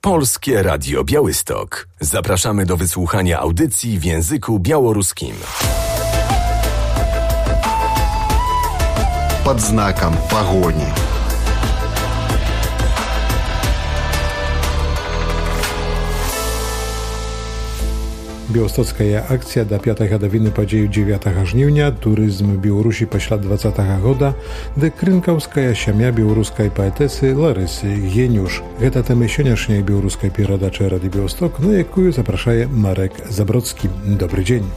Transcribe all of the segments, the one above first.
Polskie Radio Białystok. Zapraszamy do wysłuchania audycji w języku białoruskim. Pod znakiem pogoni. Białostocka akcja da 5 гадовины падзею 9 жніўня турызм Беларусі пасля 20 года, ды крынкаўская сям'я беларускай паэтэсы Ларысы Генюш. Гэта тэма сённяшняй беларускай перадачы Радыё Біałystok, на якую запрашае Марек Забродскі. Добрый дзень.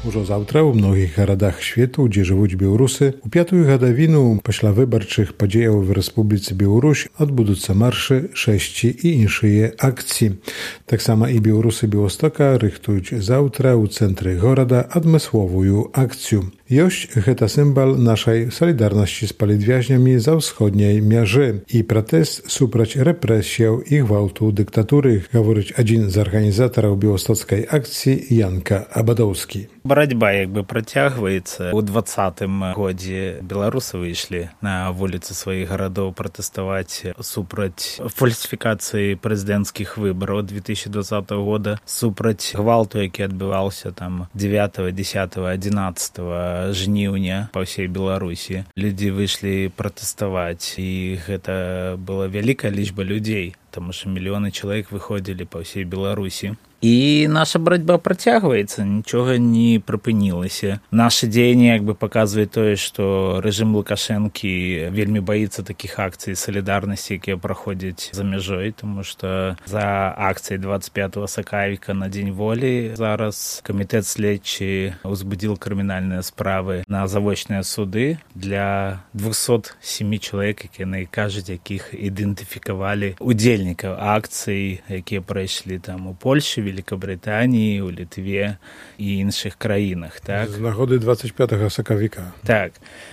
Ужо заўтра ў многіх гарадах свету, дзе жывуць беларусы, у 5-ю гадавіну пасля выбарчых падзеяў в Рэспубліцы Беларусь адбудуцца маршы, шэсці і іншыя акцыі. Таксама і беларусы Біałостока рыхтуюць заўтра ў цэнтры горада адмысловую акцыю. Ёсць гэта сімвал нашай салідарнасці з палітвязнямі за ўсходняй мяжы і пратэст супраць рэпрэсіяў і гвалту дыктатуры, гаворыць адзін з арганізатараў біалостоцкай акцыі Янка Абадоўскі. Барацьба працягваецца. У 2020 годзе беларусы выйшлі на вуліцы сваіх гарадоў пратэставаць супраць фальсіфікацыі прэзідэнцкіх выбараў 2020 года, супраць гвалту, які адбываўся там 9, 10, 11 жніўня па ўсей Беларусі. Людзі выйшлі пратэставаць, і гэта была вялікая лічба людзей, таму што мільёны чалавек выходзілі па ўсей Беларусі. І наша барацьба працягваецца, нічога не прыпынілася. Нашы дзеянні паказваюць тое, што рэжым Лукашэнкі вельмі баіцца такіх акцый салідарнасці, якія праходзяць за мяжой, тому што за акцыяй 25 сакавіка на Дзень волі зараз камітэт следчы ўзбудзіў крымінальныя справы на завочныя суды для 207 чалавек, якія найкажуць, якіх ідэнтыфікавалі удзельнікаў акцый, якія прайшлі там у Польшы, Великобритании, у Литве и іншых краінах. Так? З нагоды 25 сакавіка. Так.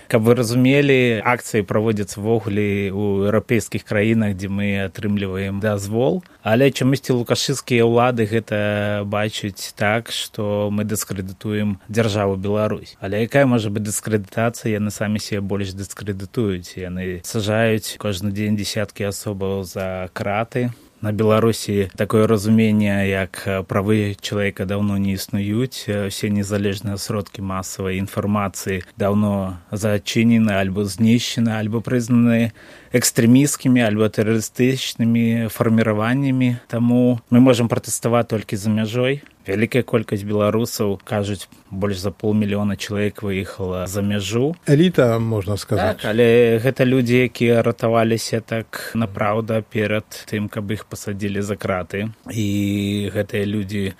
Каб вы разумелі, акцыі праводзяцца ввогуле ў еўрапейскіх краінах, дзе мы атрымліваем дазвол, але чамусьці лукашысцкія ўлады гэта бачаць так, што мы дыскрэдытуем дзяржаву Беларусь. Але якая можа быць дыскрэдытацыя? Яны самі себе больш дыскрэдытуюць. Яны сажаюць кожны дзень дзесяткі асобаў за краты. На Беларусі такое разуменне, як правы чалавека даўно не існуюць, усе незалежныя сродкі масавай інфармацыі даўно зачынены, альбо знішчены, альбо прызнаны экстрэмісцкімі, альбо тэрарыстычнымі фарміраваннямі. Таму мы можам пратэставаць толькі за мяжой. Вялікая колькасць беларусаў, кажуць, больш за 500 000 чалавек выехала за мяжу. Эліта, можна сказаць. Так, але гэта людзі, якія ратаваліся так напраўда перад тым, каб іх пасадзілі за краты. І гэтыя людзі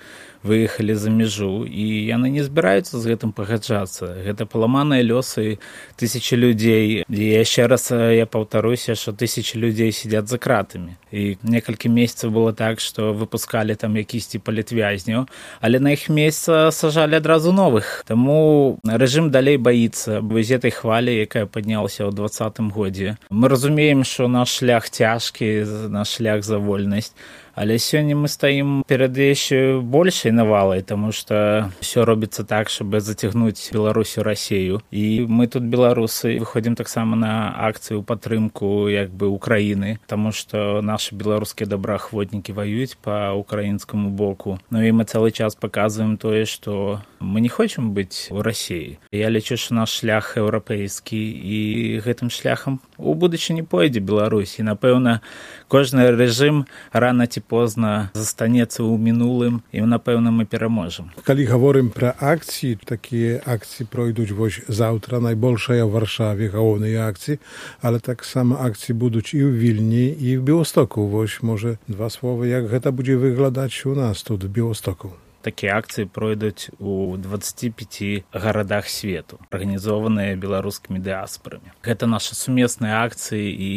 выехалі за мяжу, і яны не збіраюцца з гэтым пагаджацца. Гэта паламаныя лёсы тысячы людзей. І яшчэ раз я паўтаруся, што тысячы людзей сядзяць за кратамі. І некалькі месяцаў было так, што выпускалі там якісьці палітвязняў, але на іх месца сажалі адразу новых. Таму рэжым далей баіцца вось гэтай хвалі, якая паднялася ў 2020 годзе. Мы разумеем, што наш шлях цяжкі, наш шлях за вольнасць, але сёння мы стаім перад яшчэ большай навалай, таму што ўсё робіцца так, щоб зацягнуць Беларусь у Расію. І мы тут, беларусы, выходзім таксама на акцыю ў падтрымку Украіны, таму што нашы беларускія добраахвотнікі ваююць па украінскаму боку. Ну і мы цэлы час паказваем тое, што мы не хочам быць у Расіі. Я лічу, што наш шлях еўрапейскі, і гэтым шляхам у будучыні пойдзе Беларусь. І, напэўна, кожны рэжым рана ці позна застанецца ў мінулым, і, напэўна, мы пераможам. Калі гаворым пра акцыі, такія акцыі пройдуць вось заўтра, найбольшая ў Варшаве, галоўныя акцыі, але таксама акцыі будуць і ў Вільні, і ў Біałостоку. Вось, можа, два словы, як гэта будзе выглядаць у нас тут, у Біałостоку. Такія акцыі пройдуць у 25 гарадах свету, арганізованыя беларускімі дыяспарамі. Гэта нашы сумесныя акцыі, і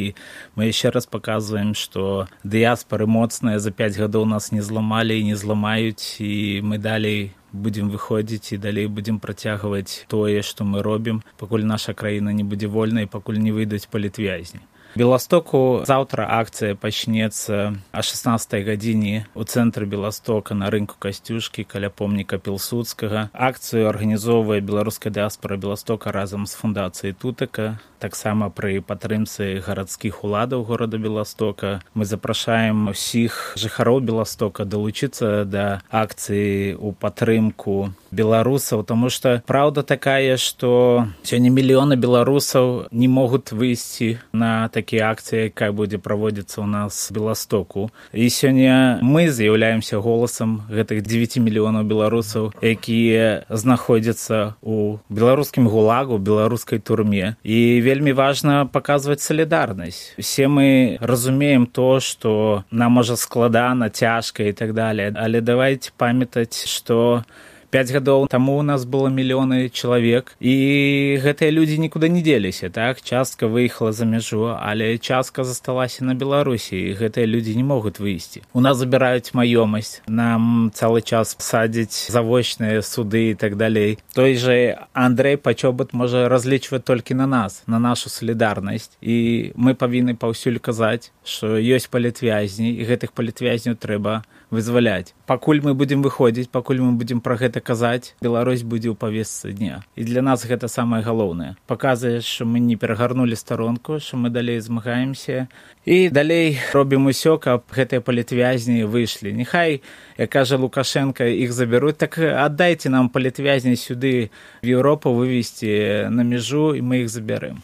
мы яшчэ раз паказваем, што дыяспары моцныя, за 5 гадоў нас не зламалі і не зламаюць, і мы далей будзем выходзіць і далей будзем працягваць тое, што мы робім, пакуль наша краіна не будзе вольнай, пакуль не выйдуць палітвязні. Беластоку заўтра акцыя пачнецца о 16 гадзіне у цэнтры Беластока на рынку Касцюшкі каля помніка Пілсудскага. Акцыю арганізоўвае беларуская дыаспара Беластока разам з фундацыяй Тутака. Таксама пры падтрымцы гарадскіх уладаў горада Беластока. Мы запрашаем усіх жыхароў Беластока далучыцца да акцыі ў падтрымку беларусаў, таму што праўда такая, што сёння мільёны беларусаў не могуць выйсці на такія акцыі, якая будзе праводзіцца ў нас в Беластоку. І сёння мы з'яўляемся голасам гэтых 9 мільёнаў беларусаў, якія знаходзяцца ў беларускім гулагу, беларускай турме. І вельмі важна паказваць салідарнасць. Усе мы разумеем то, што нам можа складана, цяжка і так далее, але давайте памятаць, што 5 гадоў таму у нас было мільёны чалавек, і гэтыя людзі нікуды не дзеліся, так? Частка выехала за мяжу, але частка засталася на Беларусі, і гэтыя людзі не могуць выйсці. У нас забіраюць маёмасць, нам цэлы час садзяць завочныя суды і так далей. Той же Андрэй Пачобут можа разлічваць толькі на нас, на нашу салідарнасць, і мы павінны паўсюль казаць, што ёсць палітвязні, і гэтых палітвязняў трэба вызваляць. Пакуль мы будзем выходзіць, пакуль мы будзем пра гэта казаць, Беларусь будзе ў павестцы дня. І для нас гэта самае галоўнае. Паказвае, што мы не перагарнулі старонку, што мы далей змагаемся. І далей робім усё, каб гэтыя палітвязні выйшлі. Няхай, як кажа Лукашенко, іх забяруць, так аддайце нам палітвязні сюды в Еўропу вывезці на мяжу, і мы іх забярэм.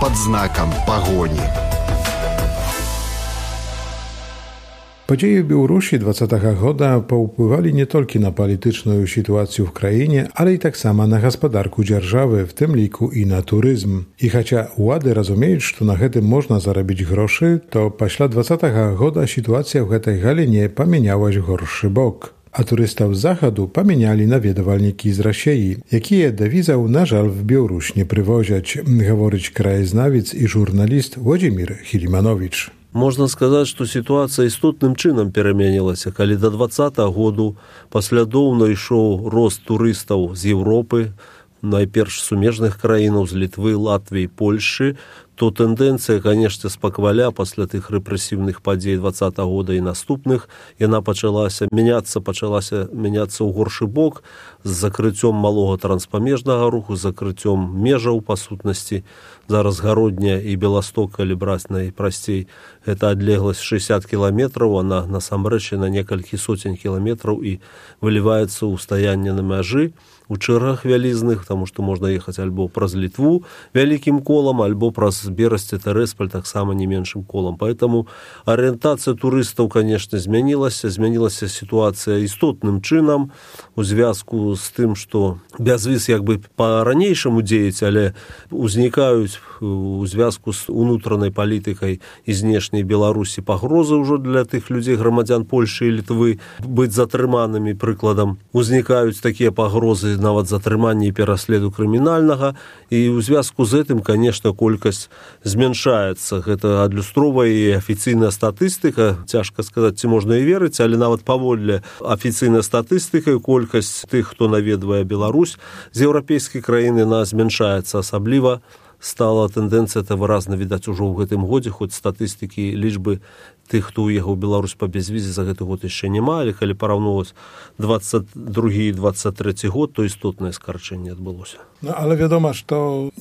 Под знаком погони. Падзеі ў Беларусі 20-го года паўплывалі не толькі на палітычную сітуацыю в краіне, але і таксама на гаспадарку дзяржавы, в тым ліку і на турызм. І хаця ўлады разумеюць, што на гэтым можна зарабіць грошы, то пасля 20-го года сітуацыя ў гэтай галіне памянялась в горшы бок. А турыстаў з захаду памянялі наведвальнікі з Расіі, якія да візаў, на жаль, в Беларусь не прывозяць, гаворыць краязнавец і журналіст Владзімір Хілімановіч. Можна сказаць, што сітуацыя істотным чынам перамянілася, калі да 20-го году паслядоўна ішоў рост турыстаў з Еўропы, найперш сумежных краінаў, з Літвы, Латвіі, Польшчы, то тэндэнцыя, канешне, спакваля пасля тых рэпрэсіўных падзей 20-го года і наступных, яна пачалася мяняцца ў горшы бок з закрыццём малога транспамежнага руху, з закрыццём межаў, па сутнасці. Зараз Гародня і Беласток, калі браць найпрасцей, гэта адлегласць 60 кіламетраў, она насамрэч на некалькі соцень кіламетраў і выліваецца ў стаянне на мяжы, у чэргах вялізных, таму што можна ехаць альбо праз Літву вялікім колам, альбо праз Берасць, Тэресполь таксама не меншым колам. Поэтому арыентацыя турыстаў, канешне, змянілася сітуацыя істотным чынам у звязку з тым, што бязвіз як бы па-ранейшаму дзеяць, але узнікаюць у звязку з унутранай палітыкай і знешняй Беларусі пагрозы ўжо для тых людзей, грамадзян Польшчы і Літвы, быць затрыманымі, прыкладам. Узнікаюць такія пагрозы нават затрымання і пераследу крымінальнага, і ў звязку з гэтым, канешне, колькасць змяншаецца. Гэта адлюстроўвае і афіцыйная статыстыка. Цяжка сказаць, ці можна і верыць, але нават паводле афіцыйнай статыстыкі колькасць тых, хто наведвае Беларусь з еўрапейскай краіны, яна змяншаецца. Асабліва стала тэндэнцыя, это выразна відаць ужо ў гэтым годзе, хоць статыстыкі лічбы тых, хто ўехаў у Беларусь па бязвізе, за гэты год яшчэ няма, але калі параўноўваць 22 і 23 год, то істотнае скарчэнне адбылося. No ale wiadomo, że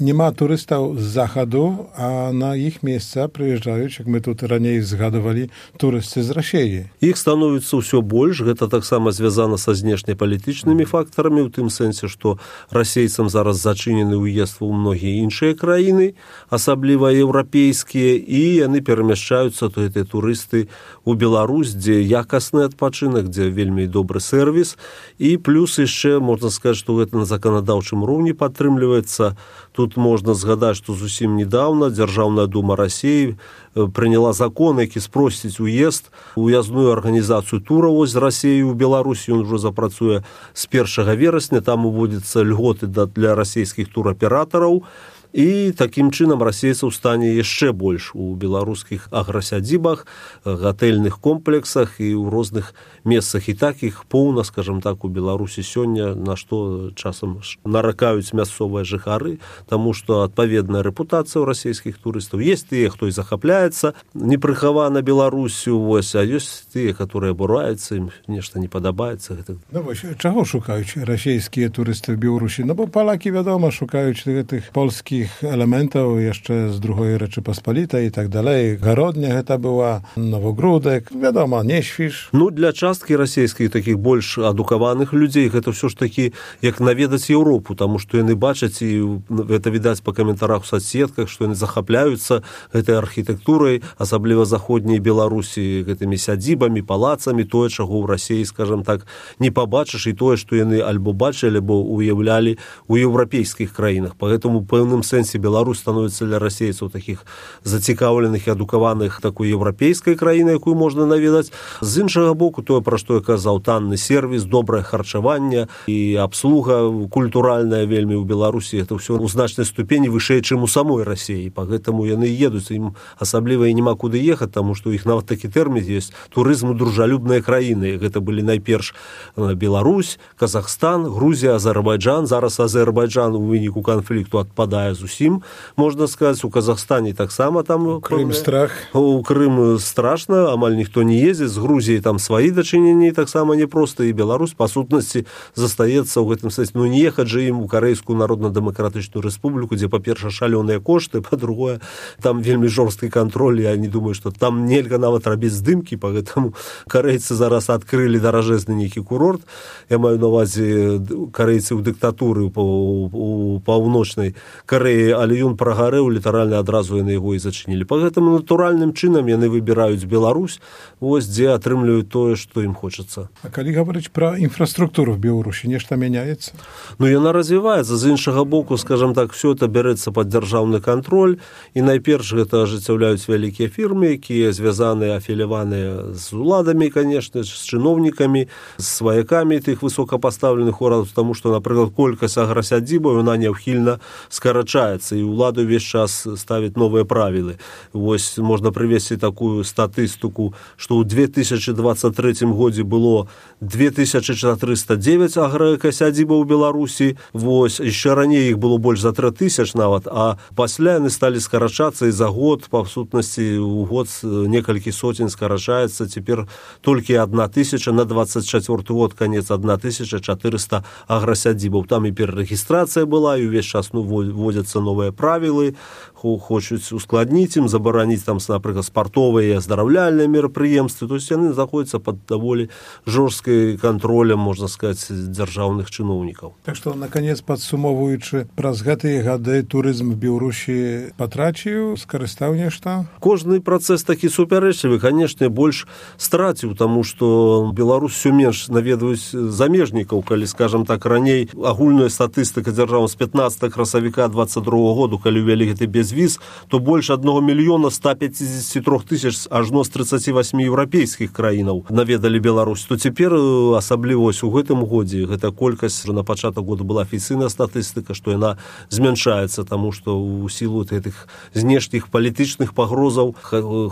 nie ma turystów z zachodu, a na ich miejsca przyjeżdżają, jak my tu raniej zgadowali, turysty z Rosji. Іх становіцца ўсё больш, гэта таксама звязана са знешнепалітычнымі фактарамі, у тым сэнсе, што расейцам зараз зачынены ўезд у многія іншыя краіны, асабліва еўрапейскія, і яны перамяшчаюцца, то гэтыя турысты у Беларусь, дзе якасны адпачынак, дзе вельмі добры сервіс, і плюс яшчэ можна сказаць, што гэта на заканадаўчым роўні падтрымліваецца. Тут можна згадаць, што зусім недавно Дзяржаўная дума Расіі прыняла закон, які спросціць уездную арганізацыю тураў з Расіі ў Беларусі. Ён ўжо запрацуе з 1 верасня. Там уводзяцца льготы для расійскіх тураператараў. і такім чынам расейцаў стане яшчэ больш у беларускіх аграсядзібах, гатэльных комплексах і ў розных месцах. І так іх поўна, скажем так, у Беларусі сёння, на што часам наракаюць мясцовыя жыхары, таму што адпаведная рэпутацыя ў расійскіх турыстаў. Есть тыя, хто і захапляецца непрыхавана Беларусю, а ёсць тыя, которые абураюцца, ім нешта не падабаецца. Ну вось, чаго шукаюць расійскія турысты в Беларусі? Ну бо палакі, вядома, шукаюць гэтых польскіх элементаў яшчэ з другой Рэчы-Паспалітай і так далей. Гародня гэта была, Новогрудак, вядома, не Świsz. Ну, для часткі расійскіх такіх больш адукаваных людзей гэта ўсё ж такі як наведаць Еўропу, таму што яны бачаць, і гэта відаць па каментарах у соцсетках, што яны захапляюцца гэтай архітэктурай, асабліва заходняй Беларусі, гэтымі сядзібамі, палацамі, тое, чаго ў Расіі, скажем так, не пабачыш, і тое, што яны альбо бачылі, альбо уяўлялі у еўрапейскіх краінах. Поэтому у пэўным сэнсе Беларусь становіцца для расейцаў такіх зацікаўленых і адукаваных такой еўрапейскай краіны, якую можна наведаць. З іншага боку, тое, пра што я казаў, танны сервіс, добрае харчаванне і абслуга культуральная вельмі ў Беларусі, это ўсё ў значнай ступені вышэй, чым у самой Расіі. Поэтому яны едуць, ім асабліва і няма куды ехаць, таму што у іх нават такі тэрмін ёсць турызму дружалюбныя краіны. Гэта былі найперш Беларусь, Казахстан, Грузія, Азербайджан. Зараз Азербайджан у выніку канфлікту адпадае зусім, можна сказаць. У Казахстане таксама там Крым страх. У Крым страшна, амаль ніхто не ездзіць. З Грузіяй там сваі дачыненні таксама непроста, і Беларусь па сутнасці застаецца ў гэтым сэнсе. Ну не ехаць жа ім у Карэйскую Народна-дэмакратычную рэспубліку, дзе па-першае шалёныя кошты, па-другое там вельмі жорсткі кантроль. Я не думаю, што там нельга нават рабіць здымкі, поэтому карэйцы зараз адкрылі даражэзны нейкі курорт. Я маю на увазе карэйцы ў дыктатуры у паўночнай Карэі, але ён прагарэў, літаральна адразу яны яго і зачынілі. Па гэтаму натуральным чынам яны выбіраюць Беларусь, вось дзе атрымліваюць тое, што ім хочацца. А калі гаварыць пра інфраструктуру в Беларусі, нешта мяняецца? Ну, яна развіваецца. З іншага боку, скажем так, все это бярэцца пад дзяржаўны кантроль, і найперш гэта ажыццяўляюць вялікія фірмы, якія звязаныя, афіляваныя з уладамі, конечно, з чыноўнікамі, з сваякамі тых высокапастаўленых урадаў, таму што, напрыклад, колькасць аграсядзібаў, яна няўхільна скарачаецца, і ўлада ўвесь час ставіць новыя правілы. Вось можна прывесці такую статыстыку, што ў 2023 годзе было 2409 аграсядзібаў у Беларусі, вось, яшчэ раней іх было больш за 3000 нават, а пасля яны сталі скарачацца, і за год, па сутнасці, у год некалькі сотень скарачаецца, цяпер толькі 1000, на 24 год канец 1400 аграсядзібаў. Там і перарэгістрацыя была, і ўвесь час вводзяцца новыя правілы, хочуць ускладніць ім, забараніць там, напрыклад, спартовыя і аздараўляльныя мерапрыемствы. То есть яны знаходзяцца пад даволі жорсткай кантролем, можна сказаць, дзяржаўных чыноўнікаў. Так што, наконец, падсумоўваючы, праз гэтыя гады турызм в Беларусі патраціў, скарыстаў нешта? Кожны працэс такі супярэчлівы, канешне, больш страціў, таму што Беларусь усё менш наведваюць замежнікаў, калі, скажам так, раней агульная статыстыка дзяржавы з 15 красавіка 22 году, калі ўвялі гэты безвіз, то больш 1 мільёна 153 тысяч ажно з 38 еўрапейскіх краінаў наведалі Беларусь. То цяпер, асабліва у гэтым годзе, гэта колькасць на пачатак года была афіцыйная статыстыка, што яна змяншаецца, таму што ў сілу гэтых знешніх палітычных пагрозаў,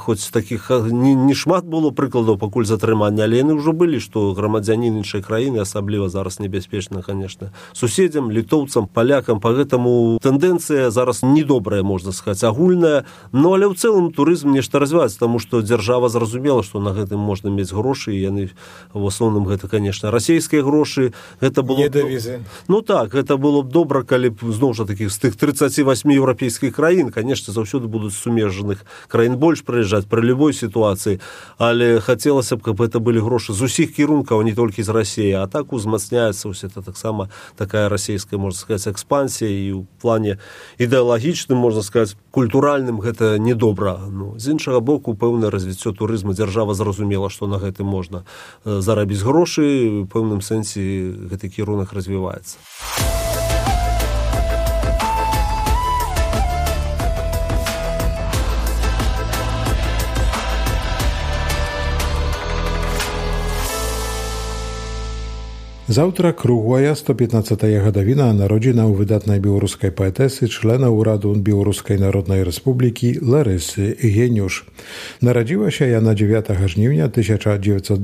хоць такіх не шмат было прыкладаў пакуль затрымання, але яны ўжо былі, што грамадзянін іншай краіны, асабліва зараз небяспечна, конечно, суседзям, літоўцам, палякам. Па гэтаму тэндэнцыя зараз недобрая, можна сказаць, агульная. Ну, але ў цэлым турызм нешта развіваецца, таму што дзяржава зразумела, што на гэтым можна мець грошы, і яны в асноўным гэта, конечно, расійскія грошы. Гэта было не давізы. Ну так, гэта было б добра, калі б зноў жа такіх з тых 38 еўрапейскіх краін, конечно, заўсёды будуць сумежных краін больш прыязджаць пры любой сітуацыі, але хацелася б, каб гэта былі грошы з усіх кірункаў, не толькі з Расіі, а так узмацняецца ўсё это таксама такая расійская, можна сказаць, экспансія, і ў плане ідэалагічным, можна сказаць, культуральным гэта недобра. Ну, з іншага боку, пэўнае развіццё турызму, дзяржава зразумела, што на гэтым можна зарабіць грошы, у пэўным сэнсе гэты кірунак развіваецца. Завтра круглая 115-я гадавіна народзінаў выдатнай беларускай паэтэсы, члена ўраду Беларускай Народнай Рэспублікі Ларысы Геніуш. Нарадзілася яна 9 жніўня 1910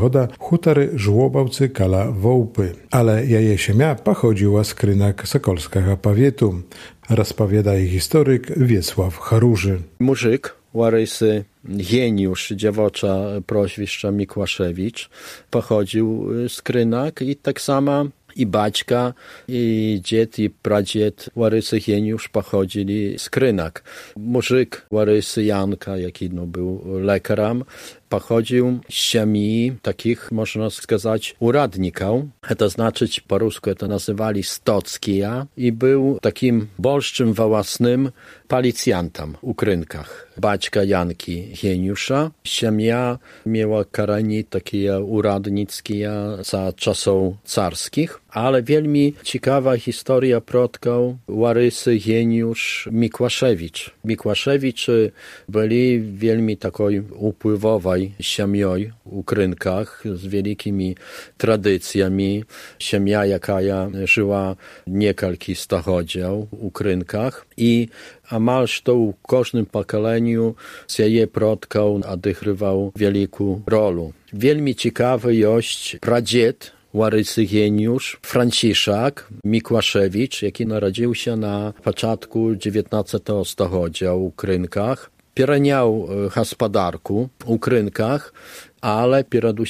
года в хутары Żłobawcy каля Воўпы, але яе сям'я паходзіла з Крынак Сакольскага павету, распавядае гісторык Wiesław Charuży. Murzyk Łarysy Geniusz, dziewocza proświszcza Mikłaszewicz, pochodził z Krynak i tak samo i baćka, i dzied, i pradzied Łarysy Geniusz pochodzili z Krynak. Murzyk Łarysy Janka, jaki był lekarzem, pochodził z siemi takich, można сказать, uradników. To znaczyć po rusku to nazywali stockia i był takim bolszczym własnym policjantem u Krynkach. Baćka Janki Geniusza. Siemia miała karani takie uradnickie za czasów carskich, ale wielmi ciekawa historia przodków Łarysy Geniusz Mikłaszewicz. Mikłaszewicz byli wielmi takiej upływowej siemią u Krynkach z wielkimi tradycjami. Siemia, jaka żyła niekalki stachodział u Krynkach i amalż to u każdym pokoleniu z jej przodków odgrywał wielką rolę. Wielmi ciekawy jest pradzied Łarysy Geniusz, Franciszek Mikłaszewicz, jaki narodził się na początku XIX stulecia u Krynkach. Pieraniał gospodarku u Krynkach, ale przede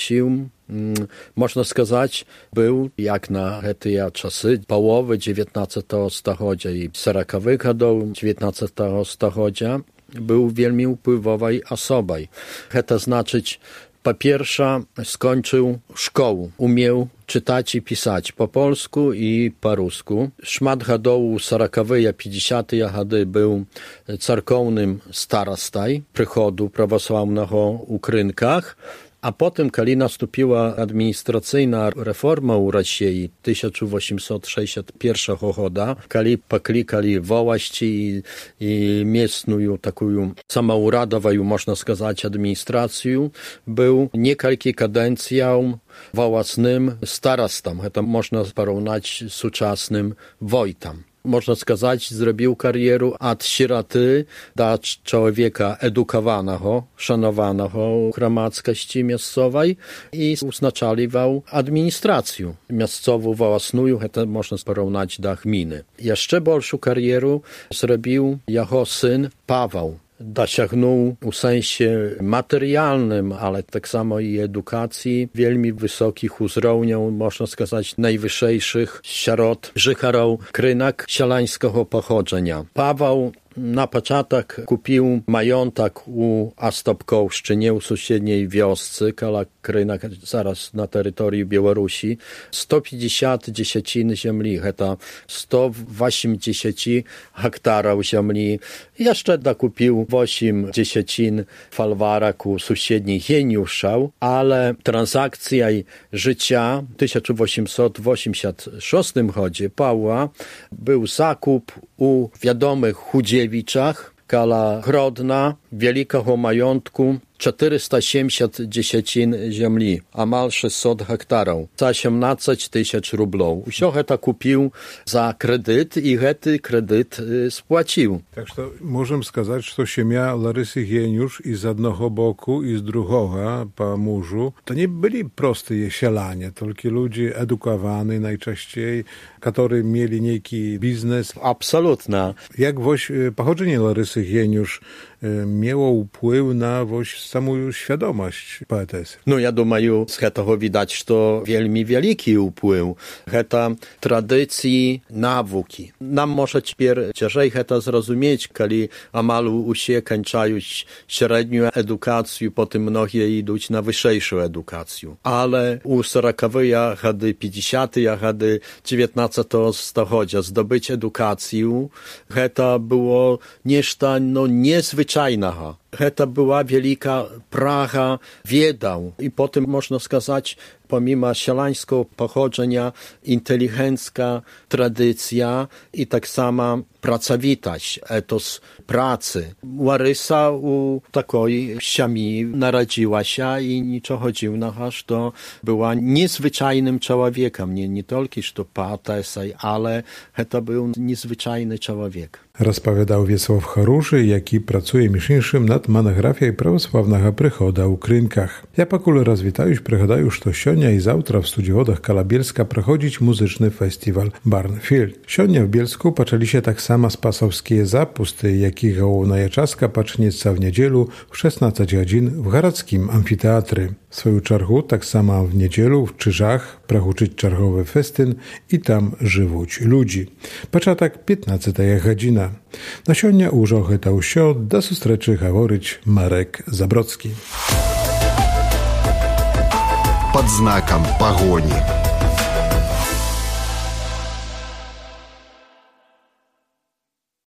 można сказать, był jak na te czasy połowy XIX stulecia i 40-wych lat XIX stulecia był wielmi wpływową osobą. To znaczyć, po pierwsze skończył szkołę, umiał czytać i pisać po polsku i po rusku. Szmat gadołu 40-wych, 50-tych lat był cerkownym starostą przychodu prawosławnego u Krynkach, a potem, kiedy nastąpiła administracyjna reforma u Rosji 1861 roku, kiedy poklikali właści i miejscową taką samouradową, można сказать, administrację, był niekalki kadencją własnym starostą. To można porównać z współczesnym wojtem. Można сказать, zrobił karierę od sieroty do człowieka edukowanego, szanowanego w gromadskości miejscowej i uznaczaliwał administrację miejscową własną, to można porównać do gminy. Jeszcze bolszą karierę zrobił jego syn Paweł. Dosiągnął w sensie materialnym, ale tak samo i edukacji, wielmi wysokich uzrowniów, można сказать, najwyższych wśród życharów Krynak sielańskiego pochodzenia. Paweł na początek kupił majątek u Astopkołszczynie, u sąsiedniej wiosce, koło Krynak, zaraz na terytorium Białorusi, 150 dziesięcin ziemi, to 180 hektarów ziemi. Jeszcze dokupił 8 dziesięcin folwarek u sąsiedniej Geniusza, ale transakcja życia w 1886 roku Pawła był zakup u wiadomych Chudziewiczach, koło Grodna, wielkiego majątku, 470 dziesięcin ziemi, amal 600 hektarów, za 18 000 rublów. Wszystko to kupił za kredyt i ten kredyt spłacił. Tak, że możemy сказать, że siemia Larysy Geniusz i z jednego boku i z drugiego po mężu, to nie byli proste sielanie, tylko ludzie edukowani najczęściej, którzy mieli niejaki biznes. Absolutnie. Jak pochodzenie Larysy Geniusz miało wpływ na samą świadomość poetesy? No ja думаю, z tego widać, że to wielmi wielki wpływ. To tradycji nauki. Nam może ciężej to zrozumieć, kiedy amalu usie kończają średnią edukację, potem mnogie idą na wyższą edukację. Ale u 40-wych lat, 50-tych lat XIX stulecia zdobyć edukację, to było nieszta niezwyczajnego. to była wielka praga wiedał. I potem można сказать, pomimo sielańskiego pochodzenia, inteligencka tradycja i tak sama pracowitość, etos pracy. Łarysa u takiej siami narodziła się i niczego dziwnego, że była niezwyczajnym człowiekiem. Nie tylko, że patesaj, ale to był niezwyczajny człowiek. Rozpowiadał Wiesław Haruszy, jaki pracuje między nad monografią prawosławnego przychoda u Krynkach. Ja pakul rozwitаюś przychodaju, że sionia i zawtra w studiowodach Kalabielska prochodzić muzyczny festiwal Barnfield. Sionia w Bielsku poczęli się tak samo spasowskie zapusty, jakich Gołowna Czaska pacznieca w niedzielu w 16 godzin w Garadzkim Amfiteatry. W swoją czarchu tak samo w niedzielu w Czyżach prachuczyć czarchowy festyn i tam żywuć ludzi. Początek 15 godzina. Na sionia użochy tał sio do sustreczy haworyć Marek Zabrocki. Pod znakiem pogoni.